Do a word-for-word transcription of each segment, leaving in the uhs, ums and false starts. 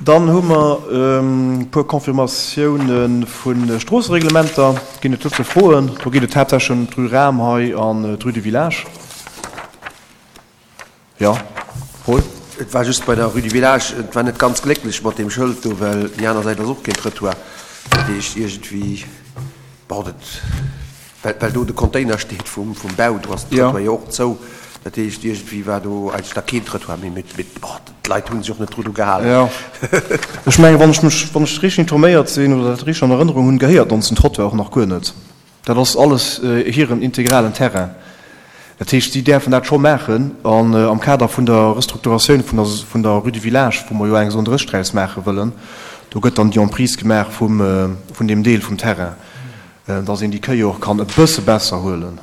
Dann hu mer e puer Confirmatioune vu Stroossereglementer. Ginn et dozou Froen? Do geet et haaptsächlech ëm d'Rue Rahm hei an d'Rue du Village. Jo, Paul? Et war just bei der Rue du Village, et war net ganz glécklech mat deem Schëld do, well déi aner Säit ass och keen Trëttoir. Dat heescht iergendwéi, bon, dat, well, well do de Container steet vum, vum Bau, do ass den Trëttoir jo och zou. Dat heescht iergendwéi war do eigentlech da keen Trëttoir méi, mee, mee bon, d'Leit hu sech och net dru gehalen. Jo, ech mengen, wann ech mech, wann ech richteg informéiert sinn oder dat richteg an Erënnerung hunn, gehéiert ons den Trottoir och nach guer net. Dat ass alles hiren integralen Terrain. Dat heescht, si däerfen dat scho maachen. An am Kader vun der Restrukturatioun vun der, vun der Rue du Village, wou mer jo eng Zone dräisseg draus maache wëllen, do gëtt dann déi Emprise gemaach vum, vun deem Deel vum Terrain, dass een déi Kéier och kann e bësse besser huelen.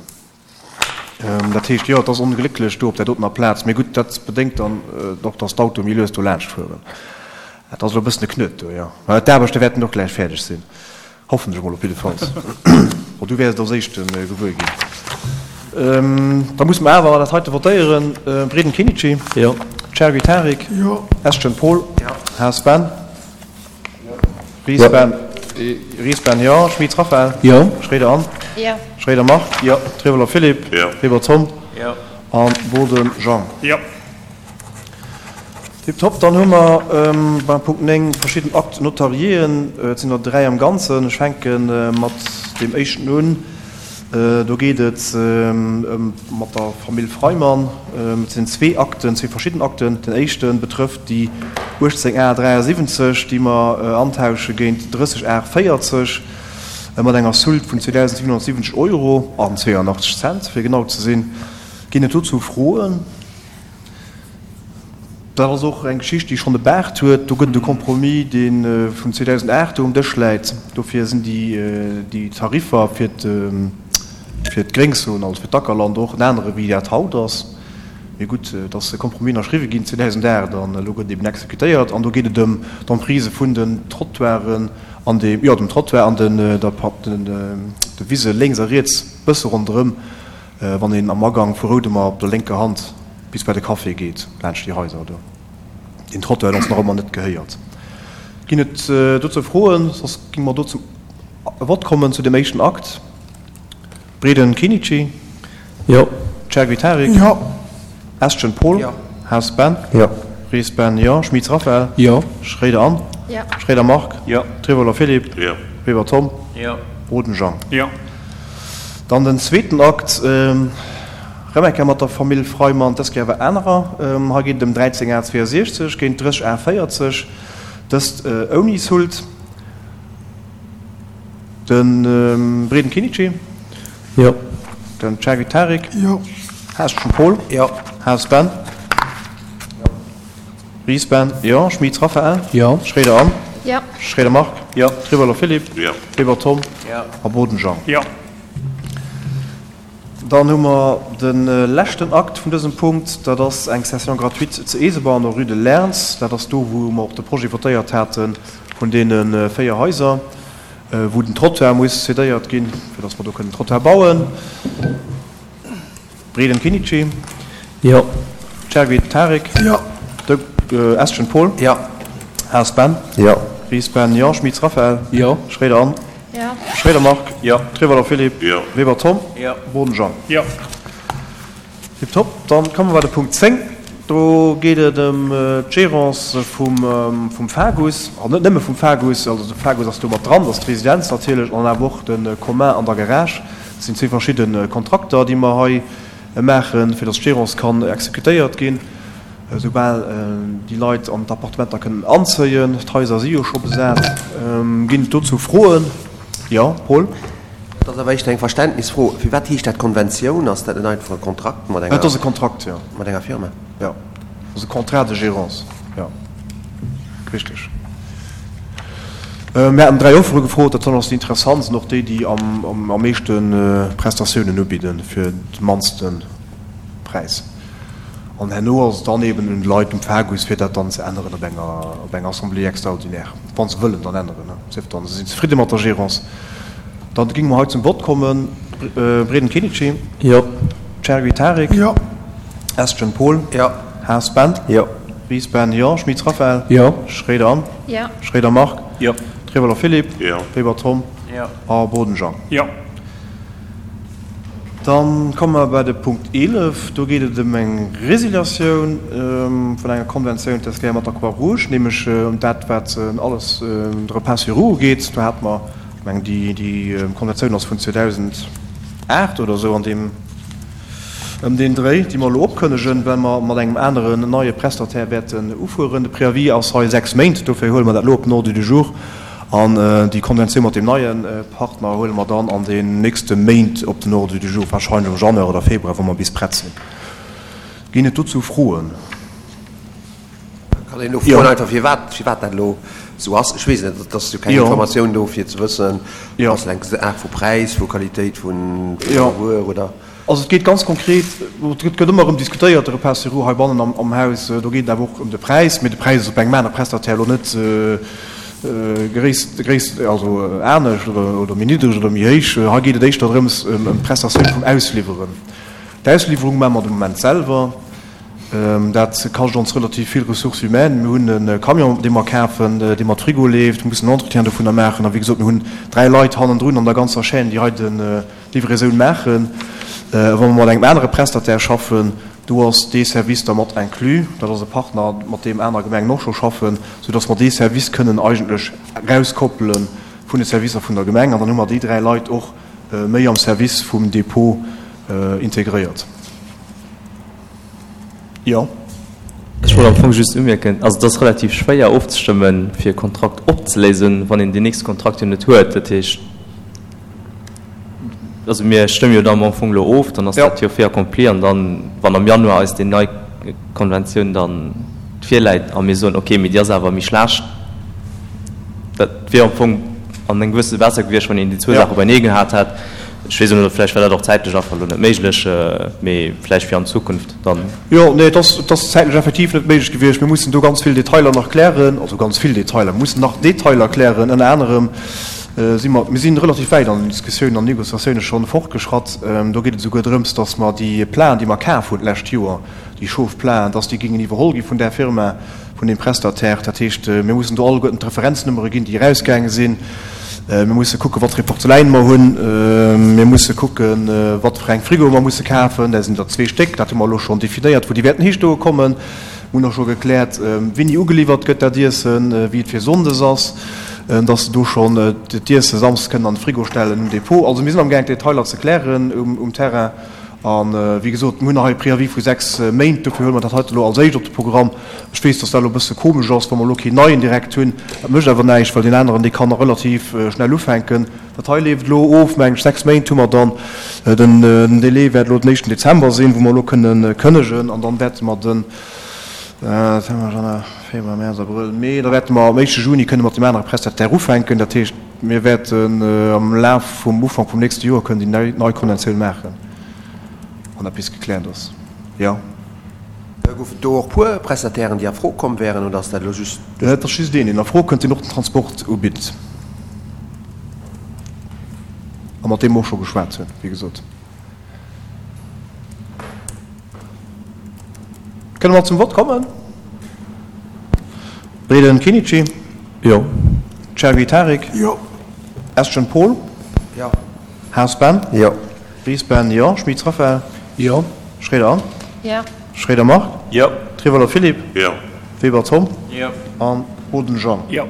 Dat heescht, jo, et ass onglécklech do op där dotener Plaz. Mee gutt, dat bedéngt dann och, dass d'Autoe méi lues do laanscht fueren. Dat ass elo e bëssen e Knuet do, jo. Mä d'Aarbechte wäerten och gläich fäerdeg sinn. Hoffen ech emol op jiddefalls. Bon, du wäers et als Éischte gewuer ginn. Da musse mer awer dat heite votéieren. Breden Kenichi. Jo. Chergui Tarik. Jo. Eschen Paul. Jo. Haas Ben. Ries Ben. Ries Ben, jo. Schmit Raphaël. Jo. Schréider Anne. Jo. Schréider Marc. Jo. Trieweler Philippe. Jo. Weber Tom. Jo. A Boden Jean. Jo. Tiptop. Dann hu mer beim Punkt néng verschidden Actes notariéen. Et sinn der dräi am Ganzen. Ech fänke mat deem éischten un. Do geet et ëm mat der Famill Freimann. Et sinn zwee Akten, zwee verschidden Akten. Den éischte betrëfft déi uechtzéng A dräiasiwwenzeg, déi mer antausche géint drësseg A véierzeg mat enger Soult vun zweedausendsiewenhonnertsiwwenzeg Euro an zweeanachtzeg Cent, fir genau ze sinn. Ginn et dozou Froen? Dat ass och eng Geschicht, déi schonn e Baart huet. Do gëtt et e Compromis, dee vun zweedausendacht do um Dësch läit. Dofir sinn déi Tariffer fir d'Gréngzon, also fir d'Ackerland och en anere wéi dat haut ass. Mee gutt, et ass e Compromis ënnerschriwwe ginn zweedausendacht an elo gëtt eben exekutéiert. An do geet et ëm d'Emprise vun den Trottoiren an dem, jo, dem Trottoir an den, der, de Wise lénks a riets, bësse ronderëm, wann een am Agang vu Roudemer op der lénker Hand bis bei de Café geet, laanscht déi Haiser do. Deen Trottoir huet ons nach ëmmer net gehéiert. Ginn et dozou Froen? Soss géinge mer do zum Vott kommen zu deem éischten Akt. Breden Kenichi. Jo. Chergui Tarik. Jo. Eschen Paul. Jo. Haas Ben. Jo. Ries Ben, jo. Schmitz Raphaël. Jo. Schréider Anne. Jo. Schréider Marc. Jo. Trieweler Philippe. Jo. Weber Tom. Jo. Boden Jean. Jo. Dann den zweeten Akt, rëm eng Kéier mat der Famill Freimann, dës Kéier awer anerer. Hei geet et ëm dräizéng A zweeënsiechzeg géint drësseg A véierzeg, dëst ouni Soult. De Breden Kenichi. Jo. Den Chergui Tarik. Jo. Haasschen Paul. Jo. Haas Ben. Ries Ben, jo. Schmitz Raphaël. Jo. Schréider Anne. Jo. Schréider Marc. Jo. Trieweler Philippe. Jo. Weber Tom. Jo. A Boden Jean. Jo. Dann hu mer de leschten Akt vun dësem Punkt, dat ass eng Cession gratuite zu Eeseber an der Rue de Lerns. Dat ass do, wou mer och de Projet votéiert hate vun deene véier Haiser, wou den Trottoir muss cédéiert ginn, fir datt mer do kënnen Trottoir bauen. Breden Kenichi. Jo. Chergui Tarik. Jo. De Eschen Paul. Jo. Haas Ben. Jo. Ries Ben, jo. Schmitz Raphaël. Jo. Schréider Anne. Jo. Schréider Marc. Jo. Trieweler Philippe. Jo. Weber Tom. Jo. Boden Jean. Jo. Tiptop. Dann komme mer bei de Punkt zéng. Do geet et ëm d'Gérance vum, vum FAGUS. An net nëmme vum FAGUS, also de FAGUS ass do mat dran, dat ass d'Residenz natierlech, an awer och de Commun an der Garage. Dat sinn zwee verschidde Kontrakter, déi mer hei maachen, fir datt d'Gérance kann exekutéiert ginn, soubal déi Leit an d'Appartementer kënnen anzéien. D'Haiser si jo scho besat. Ginn et dozou Froen? Jo, Paul? Et ass awer éischter eng Verständnisfro. Firwat heescht dat Konventioun? Ass dat net einfach e Kontrakt mat Et ass e Kontrakt, jo. Mat enger Firma? Jo, et ass e Contrat de gérance, jo, richteg. Mir haten dräi Offere gefrot, dat ass déi interessantst an och déi, déi am meeschte Prestatiounen ubidden fir de mannste Präis. An herno ass et dann eben un de Leit um FAGUS, fir dat dann ze änneren op enger, op enger Assemblée extraordinaire, wa se wëllen dann änneren, sief dann se sinn zefridde mat der Gérance. Dann géinge mer hei zum Vott kommen. Breden Kenichi. Jo. Chergui Tarik. Jo. Estgen Paul. Jo. Haas Ben. Jo. Ries Ben, jo. Schmitz Raphaël. Jo. Schroeder Anne. Jo. Schroeder Marc. Jo. Trieweler Philippe. Jo. Weber Tom. Jo. A Boden Jean. Jo. Dann komme mer bei de Punkt eelef. Do geet et ëm eng Resiliatioun vun enger Konventioun, dat ass mat der Croix-Rouge, nämlech ëm dat, wat alles de Repas sur roues ugeet. Do hate mer, ech mengen, déi, déi Konventioun ass vun zweedausendacht oder esou an deem, ëm deen Dréi, déi mer elo opkënnegen, well mer mat engem aneren neie Prestataire wäerten ufueren. De Préavis ass hei sechs Méint, dofir huele mer dat elo op den Ordre du jour. An déi Konventioun mat deem neie Partner huele mer dann an den nächste Méint op den Ordre du jour, wahrscheinlech am Januar oder Februar, wa mer bis prett sinn. Ginn et dozou Froen? Kann een elo froen einfach, firwat, firwat dat elo esou ass? Ech weess net, et ass jo keng Informatioun do, fir ze wëssen, ass et eng Saach vu Präis, vu Qualitéit vun der Wuer oder? Also et geet ganz konkret, et gëtt ëmmer erëm diskutéiert, de Repas sur roues heibannen am Haus, do geet et awer och ëm de Präis, mee de Präis ass op engem anere Prestataire elo net gréisst, gréisst, also anescht oder, oder méi niddreg oder méi héich. Hei geet et éischter drëms ëm d'Prestatioun vum Ausliwweren. D'Ausliwwerung maache mer de Moment selwer. Dat kascht ons relativ vill Ressources humaines. Mir hunn e Camion, dee mer kafen, dee mat Frigo leeft. Mir mussen en Entretien dovunner maachen. A wéi gesot, mir hunn dräi Leit hannendrun an der ganzer Chaîne, déi hei d'Livraison maachen. Wa mer mat engem anere Prestataire schaffen, do ass dee Service da mat inclus. Dat ass e Partner, mat deem aner Gemengen och scho schaffen, soudass mer dee Service kënnen eigentlech erauskoppele vun de Servicer vun der Gemeng. An dann hu mer déi dräi Leit och méi am Service vum Dépôt integréiert. Jo. Ech wollt am Fong just umierken, also et ass relativ schwéier ofzestëmmen, fir e Kontrakt opzeléisen, wann een deen nächste Kontrakt jo net huet. Dat heescht, also mir stëmme jo dann am Fong elo of, dann ass dat jo fait accompli an dann, wann am Januar eis déi nei Konventioun dann virläit a mir soen, okay, mee déi ass awer méi schlecht, dat wier am Fong an engem gewësse besser gewiescht, wann een déi zwou Saache beienee gehat hätt. Ech weess elo net, vläicht war dat och zäitlech einfach elo net méiglech, mee vläicht fir an Zukunft dann. Jo, nee, et ass, et ass zäitlech effektiv net méiglech gewiescht. Mir mussen do ganz vill Detailer nach klären, also ganz vill Detailer, mir mussen nach Detailer klären. Ënner anerem si mer, mir si relativ wäit an den Diskussiounen an Négociatioune schonn fortgeschratt. Do geet et esouguer drëms, datt mer déi Plaen, déi mer kaf hunn d'lescht Joer, déi Chauffe-Plaen, datt déi géingen iwwerholl gi vun där Firma, vun deem Prestataire. Dat heescht, mir mussen do alleguerten d'Referenznummere ginn, déi erausgaange sinn. Mir musse kucken, wat fir ee Porzeläin mer hunn. Mir musse kucken, wat fir eng Frigoe mer musse kafen. Dat sinn der zwee Stéck, dat hu mer elo schonn definéiert, wou déi wäerten histoe kommen. Mir hunn och scho gekläert, wéini ugeliwwert gëtt dat Iessen, wéi et fir sonndes ass, dass se do schonn d'Iesse samsdes kënnen an de Frigo stellen um Depot. Also mir sinn amgaang, d'Detailer ze klären um Terrain. A wéi gesot, mir hunn nach hei e Préavis vu sechs Méint, dofir huele mer dat heite elo als éischt op de Programm. Ech weess, dass dat elo e bësse komesch ass, wa mer elo keen neien direkt hunn. Dat mécht awer näischt, well deen aneren, dee kann nach relativ schnell ufänken. Dat hei leeft elo of, meng ech, sechs Méint hu mer dann. Den Délai wäert elo den éischten Dezember sinn, wou mer elo kënnen kënnegen. An dann wäerte mer den, Dezember, Januar, Februar, Mäerz, Abrëll, Mee, da wäerte mer am éischte Juni kënne mat deem anere Prestataire ufänken. Dat heescht, mir wäerten am Laf vum Ufank vum nächste Joer kënnen déi nei Konventioun maachen. Wann dat bis gekläert ass, jo. Goufen et do och puer Prestatairen, déi a Fro komm wären, oder ass dat elo just. Et ass just een, deen a Fro kënnt, deen och den Transport ubitt a mat deem mer och scho geschwat hunn, wéi gesot. Kënne mer zum Vott kommen? Breden Kinici? Jo. Chergui Tarik? Jo. Estgen Paul? Jo. Haas Ben? Jo. Ries Ben, jo. Schmitz Raphaël? Jo. Schroeder Anne? Jo. Schroeder Marc? Jo. Trieweler Philippe? Jo. Weber Tom? Jo. An Boden Jean? Jo.